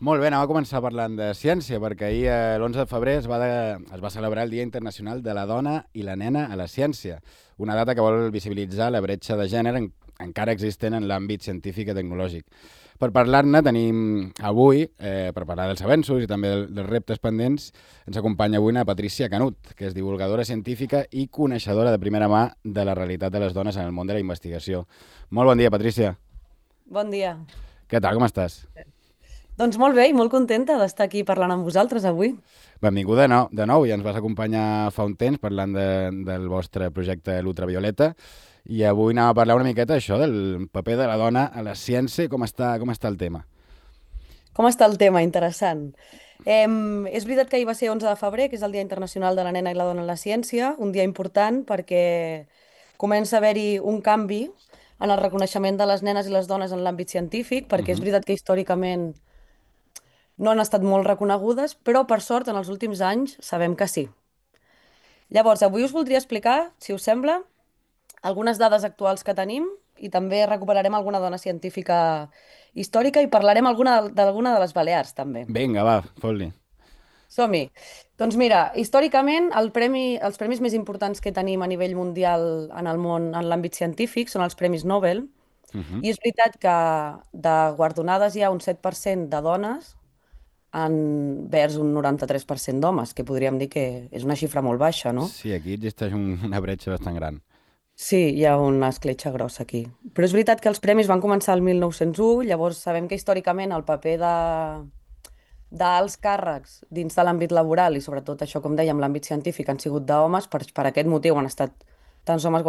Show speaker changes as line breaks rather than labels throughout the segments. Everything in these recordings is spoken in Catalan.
Molt bé, anem a començar parlant de ciència, perquè ahir, l'11 de febrer, es va celebrar el Dia Internacional de la Dona i la Nena a la Ciència, una data que vol visibilitzar la bretxa de gènere encara existent en l'àmbit científic i tecnològic. Per parlar-ne tenim avui, per parlar dels avenços i també dels reptes pendents, ens acompanya avui una Patrícia Canut, que és divulgadora científica i coneixedora de primera mà de la realitat de les dones en el món de la investigació. Molt bon dia, Patrícia.
Bon dia.
Què tal, com estàs?
Doncs molt bé i molt contenta d'estar aquí parlant amb vosaltres avui.
Benvinguda de nou, ja ens vas acompanyar fa un temps parlant del vostre projecte L'Ultravioleta i avui anem a parlar una miqueta això del paper de la dona a la ciència i com està el tema.
Com està el tema? Interessant. És veritat que ahir va ser 11 de febrer, que és el Dia Internacional de la Nena i la Dona en la Ciència, un dia important perquè comença a haver-hi un canvi en el reconeixement de les nenes i les dones en l'àmbit científic, perquè és
Mhm.
veritat que històricament no han estat molt reconegudes, però per sort en els últims anys sabem que sí. Llavors, avui us voldria explicar, si us sembla, algunes dades actuals que tenim i també recuperarem alguna dona científica històrica i parlarem d'alguna de les Balears, també.
Vinga, va, fot-li.
Som-hi. Doncs mira, històricament els premis més importants que tenim a nivell mundial en el món, en l'àmbit científic, són els premis Nobel.
Mhm.
I és veritat que de guardonades hi ha un 7% de dones envers un 93% d'homes, que podríem dir que és una xifra molt baixa, no?
Sí, aquí existeix una bretxa bastant gran.
Sí, hi ha una escletxa grossa aquí. Però és veritat que els premis van començar el 1901, llavors sabem que històricament el paper d'alts càrrecs dins de l'àmbit laboral i sobretot això, com dèiem, l'àmbit científic han sigut d'homes, per aquest motiu han estat tants homes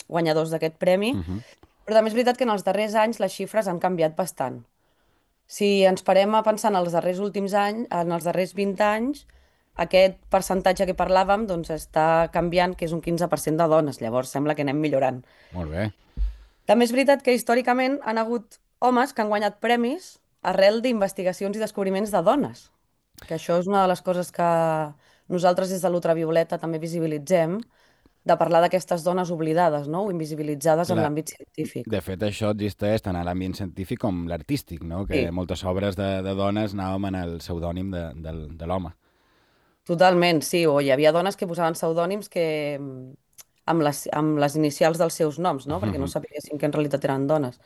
guanyadors d'aquest premi,
Mhm.
però també és veritat que en els darrers anys les xifres han canviat bastant. Si ens parem a pensar en els darrers últims anys, en els darrers 20 anys, aquest percentatge que parlàvem doncs, està canviant, que és un 15% de dones. Llavors sembla que anem millorant.
Molt bé.
També és veritat que històricament han hagut homes que han guanyat premis arrel d'investigacions i descobriments de dones. Que això és una de les coses que nosaltres des de l'Ultravioleta també visibilitzem, de parlar d'aquestes dones oblidades, no? O invisibilitzades en
Clar,
l'àmbit científic.
de fet això existeix tant a l'àmbit científic com l'artístic, no? Que
Sí.
moltes obres de dones anàvem en el pseudònim de l'home.
Totalment, sí, o hi havia dones que posaven pseudònims que amb les inicials dels seus noms, no? Perquè no
Mhm.
sabessin que en realitat eren dones.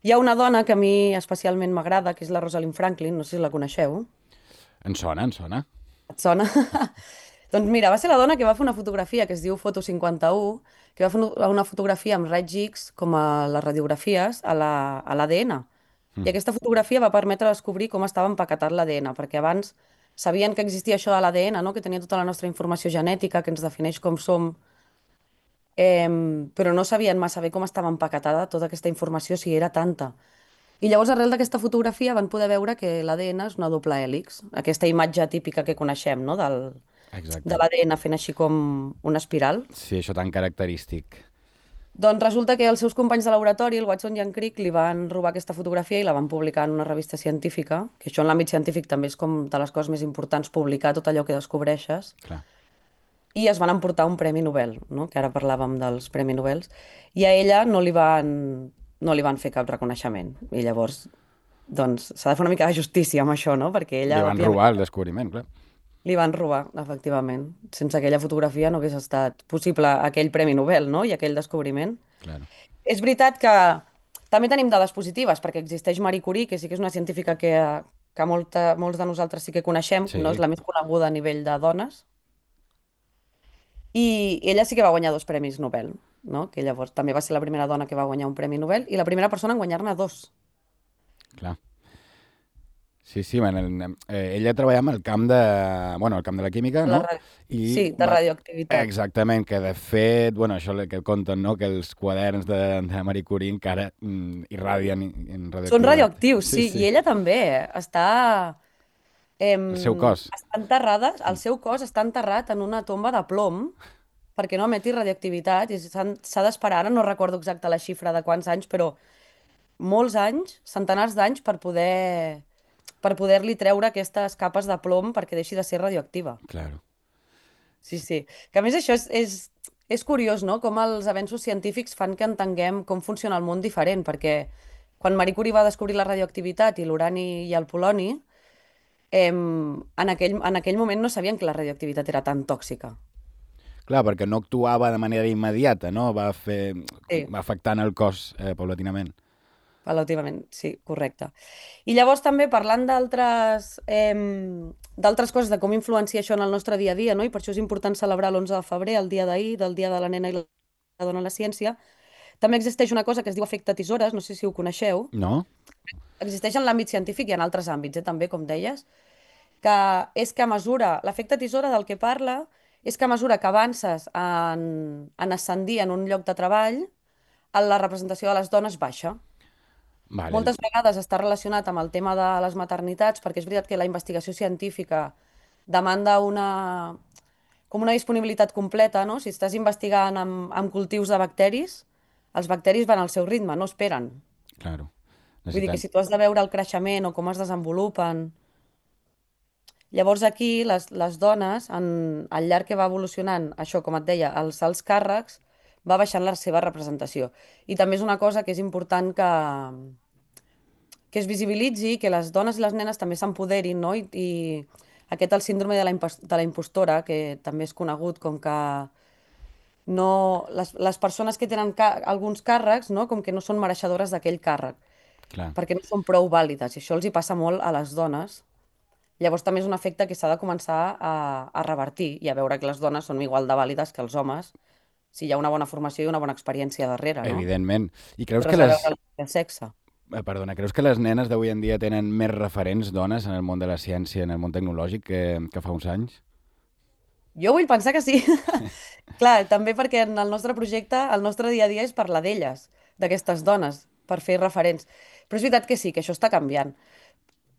Hi ha una dona que a mi especialment m'agrada, que és la Rosalind Franklin, no sé si la coneixeu.
Em sona, em sona.
Et sona? Doncs mira, va ser la dona que va fer una fotografia que es diu Foto 51, que va fer una fotografia amb raigs X, com a les radiografies, a l'ADN. I
Mhm.
aquesta fotografia va permetre descobrir com estava empaquetat l'ADN, perquè abans sabien que existia això de l'ADN, no? Que tenia tota la nostra informació genètica, que ens defineix com som, però no sabien massa bé com estava empaquetada tota aquesta informació, si era tanta. I llavors, arrel d'aquesta fotografia, van poder veure que l'ADN és una doble hèlix, aquesta imatge típica que coneixem, no? De
Exacte.
l'ADN fent així com una espiral.
Sí, això tan característic.
Doncs resulta que els seus companys de laboratori, el Watson i en Crick, li van robar aquesta fotografia i la van publicar en una revista científica, que això en l'àmbit científic també és com de les coses més importants, publicar tot allò que descobreixes,
Clar.
i es van emportar un Premi Nobel, no? Que ara parlàvem dels Premi Nobels, i a ella no li van fer cap reconeixement. I llavors, doncs, s'ha de fer una mica de justícia amb això, no? Perquè
Li
ella,
van
òbviament,
robar el descobriment, clar.
li van robar, efectivament. Sense aquella fotografia no hagués estat possible aquell Premi Nobel, no? I aquell descobriment.
Claro.
És veritat que també tenim dades positives, perquè existeix Marie Curie, que sí que és una científica que molts de nosaltres sí que coneixem, no és
Sí,
la més coneguda a nivell de dones, i ella sí que va guanyar dos premis Nobel, no? Que llavors també va ser la primera dona que va guanyar un premi Nobel i la primera persona en guanyar-ne dos.
clar. Sí, sí, ella treballava en el camp el camp de la química,
La
no?
ra-
I
Sí, de radioactivitat.
exactament, que de fet, això que conten, no? Que els quaderns de Marie Curie encara irradien en
Són
radioactivitat.
radioactius,
Sí,
sí, i
sí.
ella també
El seu cos.
està enterrada, el seu cos està enterrat en una tomba de plom perquè no emeti radioactivitat i s'ha d'esperar, ara no recordo exacta la xifra de quants anys, però molts anys, centenars d'anys per poder-li treure aquestes capes de plom perquè deixi de ser radioactiva.
Claro.
Sí, sí. Que a més això és curiós, no? Com els avenços científics fan que entenguem com funciona el món diferent, perquè quan Marie Curie va descobrir la radioactivitat i l'urani i el poloni, en aquell moment no sabien que la radioactivitat era tan tòxica.
Clar, perquè no actuava de manera immediata, no? Va
Sí,
afectant el cos paulatinament.
relativament, sí, correcte. I llavors també parlant d'altres coses, de com influencia això en el nostre dia a dia, no? I per això és important celebrar l'11 de febrer, el dia d'ahir, del Dia de la Nena i la Dona a la Ciència. També existeix una cosa que es diu efecte tisores, no sé si ho coneixeu.
No?
Existeix en l'àmbit científic i en altres àmbits, també, com deies, que és que a mesura, l'efecte tisora del que parla és que a mesura que avances en ascendir en un lloc de treball, la representació de les dones baixa.
Vale.
Moltes vegades està relacionat amb el tema de les maternitats, perquè és veritat que la investigació científica demanda com una disponibilitat completa, no? Si estàs investigant amb cultius de bacteris, els bacteris van al seu ritme, no esperen.
Claro.
Vull dir que
Necessitem...
si tu has de veure el creixement o com es desenvolupen. Llavors aquí les dones, al llarg que va evolucionant, això, com et deia, els alts càrrecs, va baixant la seva representació. I també és una cosa que és important que es visibilitzi, que les dones i les nenes també s'empoderin, no? I aquest el síndrome de la impostora, que també és conegut com que no, les persones que tenen alguns càrrecs, no? Com que no són mereixedores d'aquell càrrec,
Clar.
perquè no són prou vàlides, i això els hi passa molt a les dones. Llavors també és un efecte que s'ha de començar a revertir i a veure que les dones són igual de vàlides que els homes, si hi ha una bona formació i una bona experiència darrere, no?
Evidentment. I creus que
Res a
les...
veure amb el sexe.
Perdona, creus que les nenes d'avui en dia tenen més referents dones en el món de la ciència, en el món tecnològic, que fa uns anys?
Jo vull pensar que sí. Clar, també perquè en el nostre projecte, el nostre dia a dia és parlar d'elles, d'aquestes dones, per fer referents. Però és veritat que sí, que això està canviant.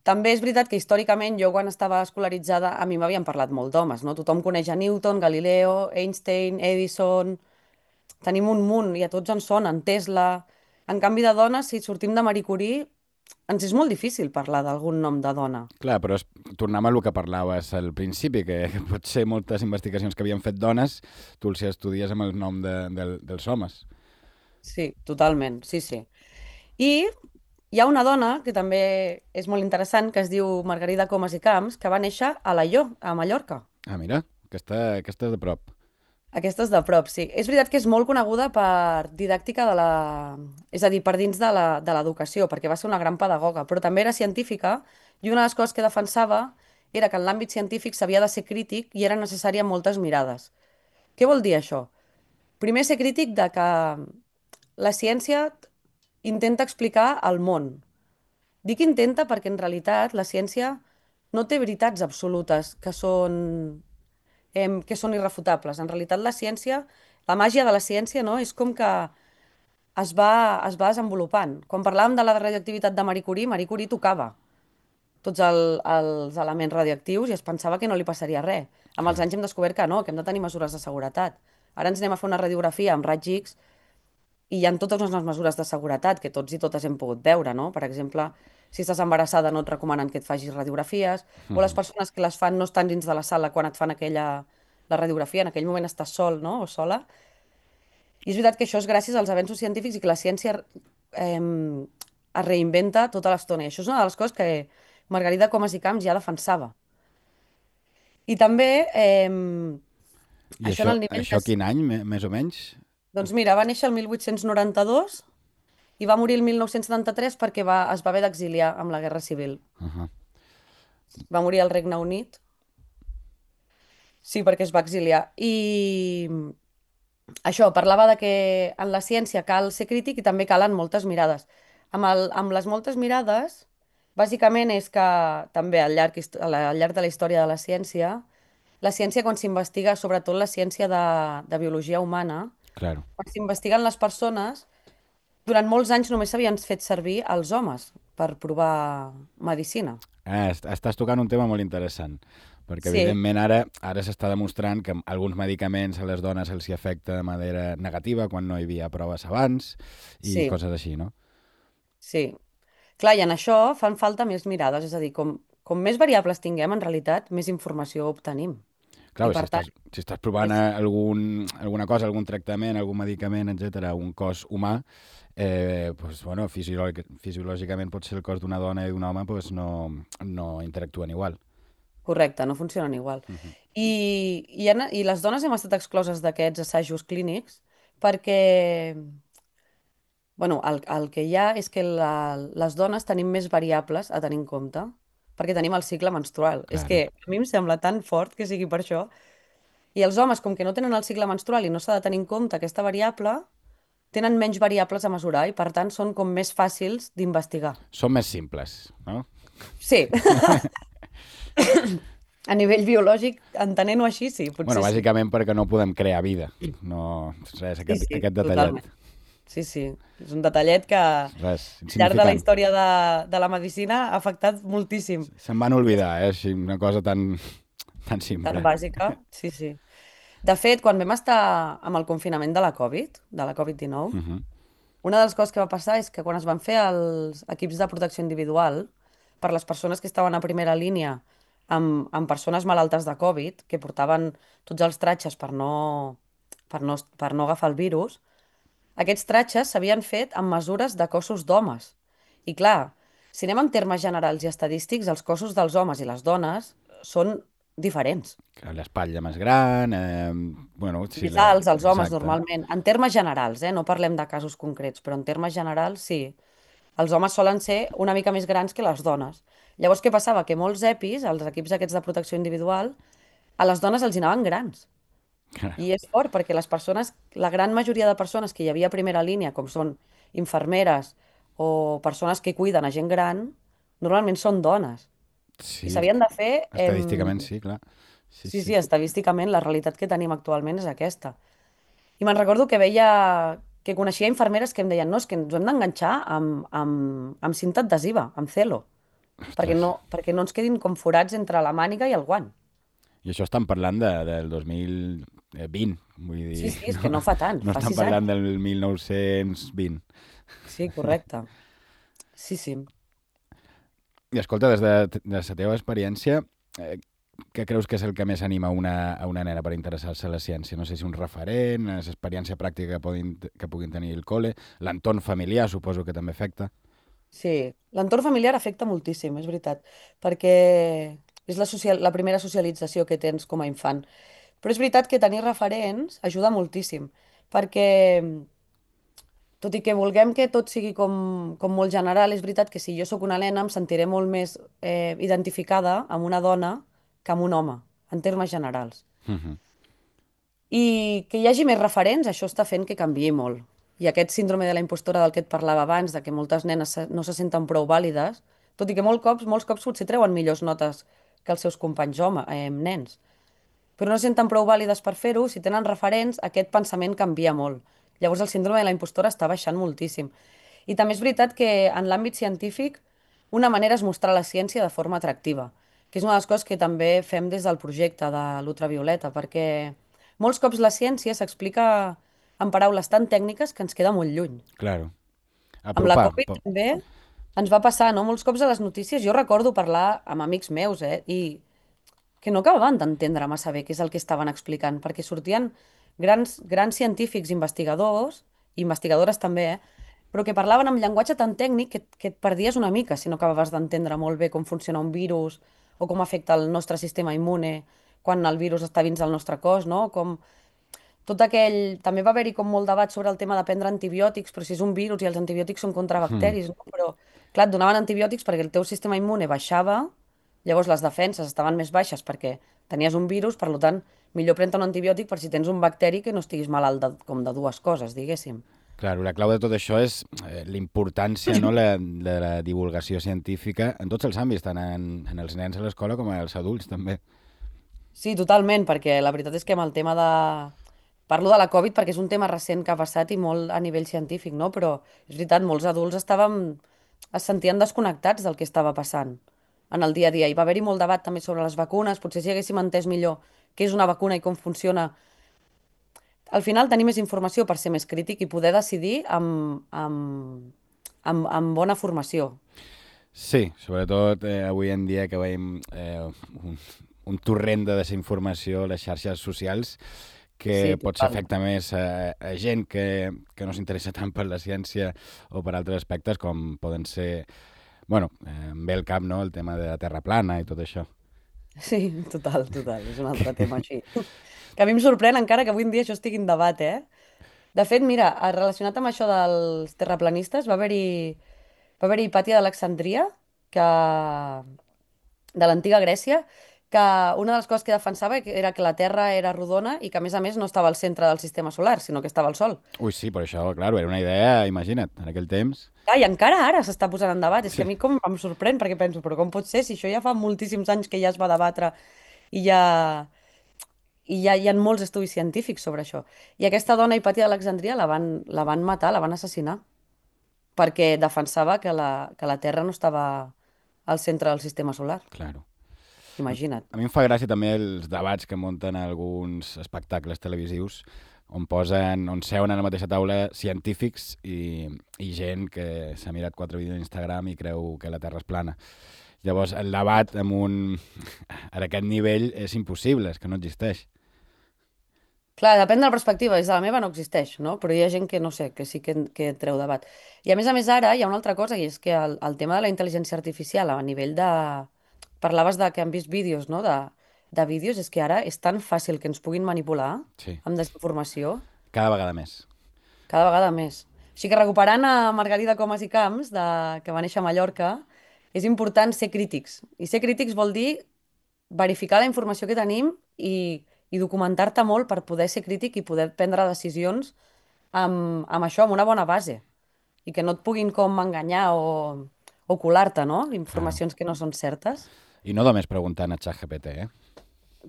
També és veritat que històricament jo quan estava escolaritzada a mi m'havien parlat molt d'homes, no? Tothom coneix a Newton, Galileo, Einstein, Edison, tenim un munt i a tots ens sonen, Tesla. En canvi de dones, si sortim de Marie Curie, ens és molt difícil parlar d'algun nom de dona.
Clar, però tornem a el que parlaves al principi, que potser moltes investigacions que havien fet dones, tu els estudies amb el nom dels homes.
Sí, totalment, sí, sí. I hi ha una dona que també és molt interessant, que es diu Margarida Comas i Camps, que va néixer a Alaior, a Mallorca.
Ah, mira, aquesta és de prop.
Aquesta és de prop, sí. És veritat que és molt coneguda per didàctica de la... És a dir, per dins de l'educació, perquè va ser una gran pedagoga, però també era científica i una de les coses que defensava era que en l'àmbit científic s'havia de ser crític i era necessària moltes mirades. Què vol dir això? Primer, ser crític de que la ciència intenta explicar el món. Dic intenta perquè en realitat la ciència no té veritats absolutes que són irrefutables. En realitat la ciència, la màgia de la ciència, no, és com que es va desenvolupant. Quan parlàvem de la radioactivitat de Marie Curie tocava tots els elements radioactius i es pensava que no li passaria res. Amb els anys hem descobert que no, que hem de tenir mesures de seguretat. Ara ens anem a fer una radiografia amb raig X i hi ha totes unes mesures de seguretat que tots i totes hem pogut veure, no? Per exemple, si estàs embarassada no et recomanen que et facis radiografies, o les persones que les fan no estan dins de la sala quan et fan la radiografia, en aquell moment estàs sol, no? O sola. I és veritat que això és gràcies als avenços científics i que la ciència es reinventa tota l'estona. I això és una de les coses que Margarida Comas i Camps ja defensava. I també,
I
això en el nivell
això quin any, més o menys?
Doncs mira, va néixer el 1892 i va morir el 1973 perquè es va haver d'exiliar amb la Guerra Civil.
Uh-huh.
Va morir al Regne Unit. Sí, perquè es va exiliar. I això, parlava de que en la ciència cal ser crític i també calen moltes mirades. Amb les moltes mirades, bàsicament és que també al llarg de la història de la ciència quan s'investiga, sobretot la ciència de biologia humana,
Claro.
quan s'investiguen les persones, durant molts anys només s'havien fet servir els homes per provar medicina.
Estàs tocant un tema molt interessant, perquè
Sí,
evidentment ara s'està demostrant que alguns medicaments a les dones els hi afecta de manera negativa quan no hi havia proves abans i
sí,
coses així, no?
sí. Clar, i en això fan falta més mirades, és a dir, com més variables tinguem, en realitat, més informació obtenim.
Clar,
I
si
per tant,
estàs provant alguna cosa, algun tractament, algun medicament, etc., a un cos humà, pues, bueno, fisiològicament potser el cos d'una dona i d'un home pues, no interactuen igual.
Correcte, no funcionen igual. I les dones hem estat excloses d'aquests assajos clínics perquè, bueno, el que hi ha és que les dones tenim més variables a tenir en compte perquè tenim el cicle menstrual. És
Claro.
que a mi em sembla tan fort que sigui per això. I els homes, com que no tenen el cicle menstrual i no s'ha de tenir en compte aquesta variable, tenen menys variables a mesurar i, per tant, són com més fàcils d'investigar.
Són més simples, no?
Sí, a nivell biològic, entenent-ho així, sí, potser
Bueno,
sí.
bàsicament perquè no podem crear vida. No, res,
Sí, sí,
aquest detallet.
totalment. Sí, sí, és un detallet que al
Res,
llarg de la
insignificant.
història de la medicina ha afectat moltíssim.
Se'n van oblidar, així, una cosa tan
Tan
simple.
bàsica, sí, sí. De fet, quan vam estar amb el confinament de la Covid-19,
Mhm.
una de les coses que va passar és que quan es van fer els equips de protecció individual per les persones que estaven a primera línia amb persones malaltes de Covid, que portaven tots els tratges per no agafar el virus, aquests tratges s'havien fet amb mesures de cossos d'homes. I clar, si anem en termes generals i estadístics, els cossos dels homes i les dones són diferents.
L'espatlla més gran, bueno, sí,
Més alts, els homes
exacte.
normalment. En termes generals, no parlem de casos concrets, però en termes generals sí. Els homes solen ser una mica més grans que les dones. Llavors, què passava? Que molts EPIs, els equips aquests de protecció individual, a les dones els hi anaven grans. I és fort perquè les persones, la gran majoria de persones que hi havia a primera línia, com són infermeres o persones que cuiden a gent gran, normalment són dones. I
Sí,
s'havien de fer...
estadísticament sí, clar. Sí,
Sí,
sí.
sí, estadísticament la realitat que tenim actualment és aquesta. I me'n recordo que veia, que coneixia infermeres que em deien no, és que ens ho hem d'enganxar amb cinta adhesiva, amb celo,
Ostres.
perquè no ens quedin com forats entre la màniga i el guant.
I això estan parlant del 2020, vull
Sí,
dir,
sí, és que no fa tant,
no
fa
estan
6 anys.
parlant del 1920.
Sí, correcte. Sí, sí.
I escolta, des de la teva experiència, què creus que és el que més anima a una nena per interessar-se a la ciència? No sé si un referent, l'experiència pràctica que puguin tenir al col·le, l'entorn familiar suposo que també afecta.
Sí, l'entorn familiar afecta moltíssim, és veritat, perquè és la primera socialització que tens com a infant. Però és veritat que tenir referents ajuda moltíssim, perquè tot i que vulguem que tot sigui com molt general, és veritat que si jo sóc una nena em sentiré molt més identificada amb una dona que amb un home, en termes generals.
Mhm.
I que hi hagi més referents, això està fent que canviï molt. I aquest síndrome de la impostora del que et parlava abans, de que moltes nenes no se senten prou vàlides, tot i que molts cops potser treuen millors notes que els seus companys nens, però no se senten prou vàlides per fer-ho, si tenen referents, aquest pensament canvia molt. Llavors el síndrome de la impostora està baixant moltíssim. I també és veritat que en l'àmbit científic una manera és mostrar la ciència de forma atractiva, que és una de les coses que també fem des del projecte de l'ultravioleta, perquè molts cops la ciència s'explica en paraules tan tècniques que ens queda molt lluny.
Claro.
Amb la
Apropar.
Covid també ens va passar, no? Molts cops a les notícies jo recordo parlar amb amics meus, i que no acabaven d'entendre massa bé què és el que estaven explicant, perquè sortien grans científics, investigadors, i investigadores també, però que parlaven amb llenguatge tan tècnic que et perdies una mica si no acabaves d'entendre molt bé com funciona un virus o com afecta el nostre sistema immune quan el virus està dins del nostre cos, no? Com tot aquell... També va haver-hi com molt debat sobre el tema de prendre antibiòtics, però si és un virus i els antibiòtics són contra
Hmm.
bacteris, no? Però, clar, et donaven antibiòtics perquè el teu sistema immune baixava, llavors les defenses estaven més baixes perquè tenies un virus, per tant, millor prendre un antibiòtic per si tens un bacteri que no estiguis malalt com de dues coses, diguéssim.
Claro, la clau de tot això és la importància no, de la divulgació científica en tots els àmbits, tant en els nens a l'escola com als adults també.
Sí, totalment, perquè la veritat és que amb el tema de... Parlo de la Covid perquè és un tema recent que ha passat i molt a nivell científic, no? Però és veritat, molts adults es sentien desconnectats del que estava passant en el dia a dia. Hi va haver-hi molt debat també sobre les vacunes, potser si haguéssim entès millor què és una vacuna i com funciona. Al final tenir més informació per ser més crític i poder decidir amb bona formació.
Sí, sobretot avui en dia que veiem un torrent de desinformació a les xarxes socials que
Sí,
potser
total.
afecta més a gent que no s'interessa tant per la ciència o per altres aspectes com poden ser, bueno, em ve al cap, no?, el tema de la Terra plana i tot això.
Sí, total, total. És un altre tema així. Que a mi em sorprèn encara que avui en dia això estigui en debat, eh? De fet, mira, relacionat amb això dels terraplanistes, va haver-hi Hipàtia d'Alexandria, que de l'antiga Grècia, que una de les coses que defensava era que la Terra era rodona i que, a més, no estava al centre del sistema solar, sinó que estava al Sol.
Ui, sí, però això, clar, era una idea, imagina't, en aquell temps.
I encara ara s'està posant en debat. És que
Sí.
a mi com em sorprèn, perquè penso, però com pot ser si això ja fa moltíssims anys que ja es va debatre i ja, hi ha molts estudis científics sobre això. I aquesta dona, Hipàtia d'Alexandria, la van matar, la van assassinar, perquè defensava que la Terra no estava al centre del sistema solar.
Claro.
Imagina't.
A mi em fa gràcia també els debats que munten alguns espectacles televisius on seuen a la mateixa taula científics i gent que s'ha mirat 4 vídeos d'Instagram i creu que la Terra és plana. Llavors, el debat a aquest nivell és impossible, és que no existeix.
Clar, depèn de la perspectiva. Des de la meva no existeix, no? Però hi ha gent que, no sé, que sí que treu debat. I a més, ara hi ha una altra cosa, i és que el tema de la intel·ligència artificial a nivell de... Parlaves de que han vist vídeos, no? De vídeos, és que ara és tan fàcil que ens puguin manipular
Sí,
amb desinformació,
cada vegada més.
cada vegada més. Així que recuperant a Margarida Comas i Camps, que va néixer a Mallorca, és important ser crítics. I ser crítics vol dir verificar la informació que tenim i documentar-te molt per poder ser crític i poder prendre decisions amb això, amb una bona base. I que no et puguin com enganyar o colar-te, no?
Claro.
Informacions que no són certes.
I no només preguntant a ChatGPT, eh?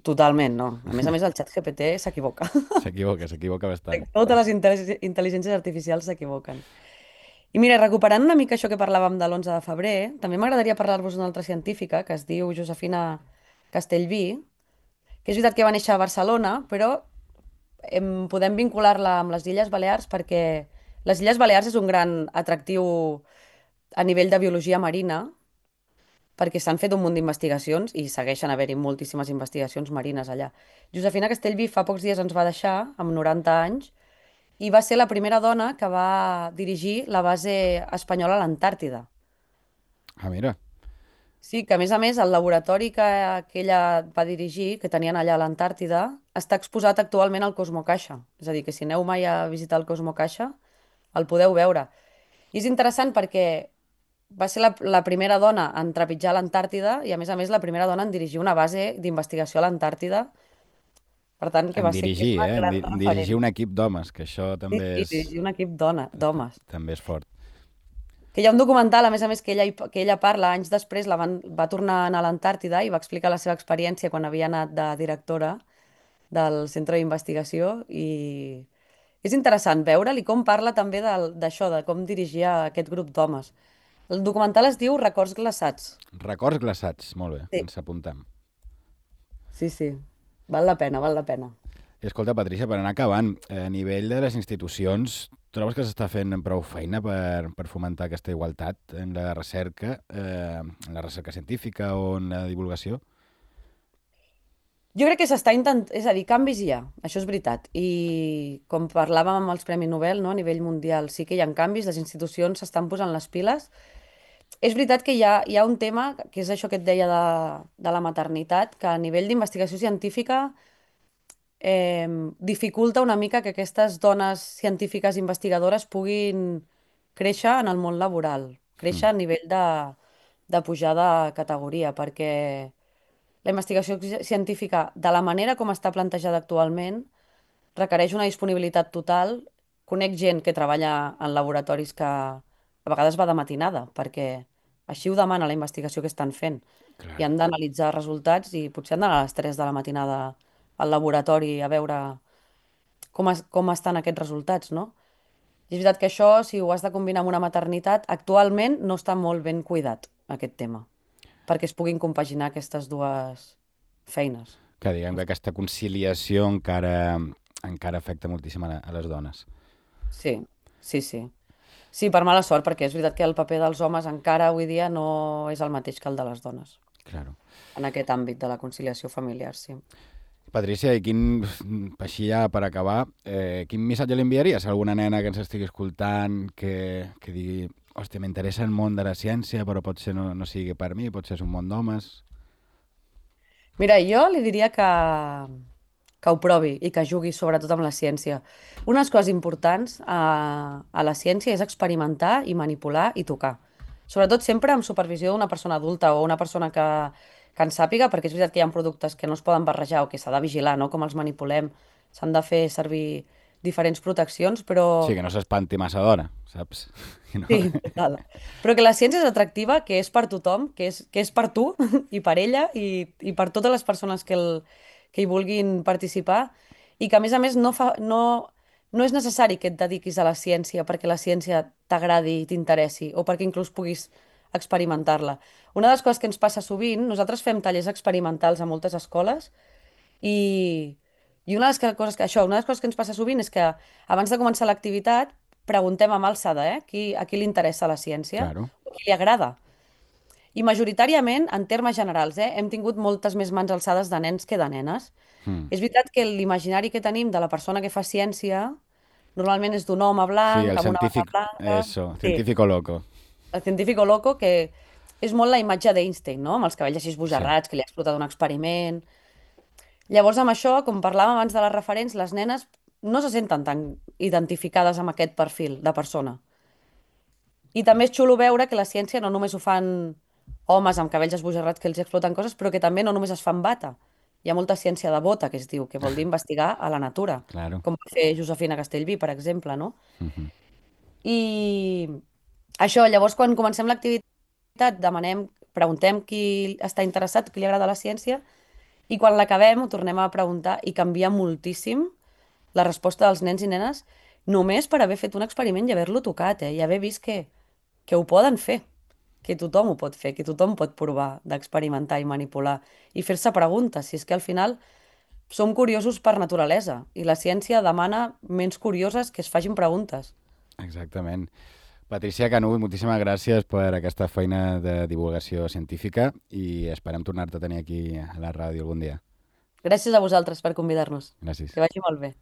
Totalment, no. A més, el xat GPT s'equivoca.
S'equivoca bastant.
Totes les intel·ligències artificials s'equivoquen. I mira, recuperant una mica això que parlàvem de l'11 de febrer, també m'agradaria parlar-vos d'una altra científica que es diu Josefina Castellví, que és veritat que va néixer a Barcelona, però podem vincular-la amb les Illes Balears perquè les Illes Balears és un gran atractiu a nivell de biologia marina, perquè s'han fet un munt d'investigacions i segueixen haver-hi moltíssimes investigacions marines allà. Josefina Castellví fa pocs dies ens va deixar, amb 90 anys, i va ser la primera dona que va dirigir la base espanyola a l'Antàrtida.
Ah, mira.
Sí, que a més, el laboratori que ella va dirigir, que tenien allà a l'Antàrtida, està exposat actualment al Cosmocaixa. És a dir, que si aneu mai a visitar el Cosmocaixa, el podeu veure. I és interessant perquè va ser la primera dona en trepitjar l'Antàrtida i, a més, la primera dona en dirigir una base d'investigació a l'Antàrtida. Per tant, que
En
va ser
dirigir,
una gran
En dirigir
referent.
un equip d'homes, que això
Sí,
també
sí, dirigir un equip d'homes.
també és fort.
Que hi ha un documental, a més, que ella parla, anys després va tornar a anar a l'Antàrtida i va explicar la seva experiència quan havia anat de directora del centre d'investigació i és interessant veure'l i com parla també d'això, de com dirigia aquest grup d'homes. El documental es diu Records glaçats.
Records glaçats, molt bé,
Sí.
ens apuntem.
Sí, sí. Val la pena, val la pena.
I escolta, Patricia, per anar acabant, a nivell de les institucions, trobes que s'està fent prou feina per fomentar aquesta igualtat en en la recerca científica o en la divulgació?
Jo crec que s'està intentant, és a dir, canvis hi ha, això és veritat. I com parlàvem amb els Premis Nobel, no, a nivell mundial, sí que hi ha canvis, les institucions s'estan posant les piles. És veritat que hi ha un tema, que és això que et deia de la maternitat, que a nivell d'investigació científica dificulta una mica que aquestes dones científiques investigadores puguin créixer en el món laboral, créixer a nivell de pujar de categoria, perquè la investigació científica, de la manera com està plantejada actualment, requereix una disponibilitat total. Conec gent que treballa en laboratoris que a vegades va de matinada, perquè així ho demana la investigació que estan fent. I
Clar.
han d'analitzar resultats i potser han d'anar a les 3 de la matinada al laboratori a veure com estan aquests resultats, no? I és veritat que això, si ho has de combinar amb una maternitat, actualment no està molt ben cuidat, aquest tema, perquè es puguin compaginar aquestes dues feines.
Que diguem que aquesta conciliació encara afecta moltíssim a les dones.
Sí, sí, sí. Sí, per mala sort, perquè és veritat que el paper dels homes encara avui dia no és el mateix que el de les dones,
Claro.
en aquest àmbit de la conciliació familiar, sí.
Patricia, i així ja per acabar, quin missatge li enviaries a alguna nena que ens estigui escoltant que digui, hòstia, m'interessa el món de la ciència, però potser no sigui per mi, potser és un món d'homes...
Mira, jo li diria que ho provi i que jugui sobretot amb la ciència. Unes coses importants a la ciència és experimentar i manipular i tocar. Sobretot sempre amb supervisió d'una persona adulta o una persona que en sàpiga, perquè és veritat que hi ha productes que no es poden barrejar o que s'ha de vigilar, no? Com els manipulem. S'han de fer servir diferents proteccions, però
Sí, que no s'espanti massa d'hora, saps? Que no...
sí, total. Però que la ciència és atractiva, que és per tothom, que és per tu i per ella i per totes les persones que hi vulguin participar i que, a més, no és necessari que et dediquis a la ciència perquè la ciència t'agradi i t'interessi o perquè inclús puguis experimentar-la. Una de les coses que ens passa sovint, nosaltres fem tallers experimentals a moltes escoles i una de les coses que ens passa sovint és que abans de començar l'activitat preguntem amb alçada, a qui li interessa la ciència
Claro.
o a qui li agrada. I majoritàriament, en termes generals, hem tingut moltes més mans alçades de nens que de nenes.
Mm.
És veritat que l'imaginari que tenim de la persona que fa ciència normalment és d'un home
Sí,
blanc,
el
amb una bata
científic...
blanca.
Eso,
Sí,
científico loco.
el científico loco, que és molt la imatge d'Einstein, no? Amb els cabells així
Sí,
esbojarrats, que li ha explotat un experiment. Llavors, amb això, com parlàvem abans de les referents, les nenes no se senten tan identificades amb aquest perfil de persona. I també és xulo veure que la ciència no només ho fan homes amb cabells esbojarrats que els exploten coses, però que també no només es fan bata. Hi ha molta ciència de bota, que es diu, que vol dir investigar a la natura,
claro.
com va fer Josefina Castellví, per exemple, no?
Mhm.
I això, llavors, quan comencem l'activitat, preguntem qui està interessat, qui li agrada la ciència, i quan l'acabem ho tornem a preguntar i canvia moltíssim la resposta dels nens i nenes només per haver fet un experiment i haver-lo tocat, i haver vist que ho poden fer, que tothom ho pot fer, que tothom pot provar d'experimentar i manipular i fer-se preguntes. Si és que al final som curiosos per naturalesa i la ciència demana ments curioses que es facin preguntes.
Exactament. Patricia Canut, moltíssimes gràcies per aquesta feina de divulgació científica i esperem tornar-te a tenir aquí a la ràdio algun dia.
Gràcies a vosaltres per convidar-nos.
Gràcies.
Que vagi molt bé.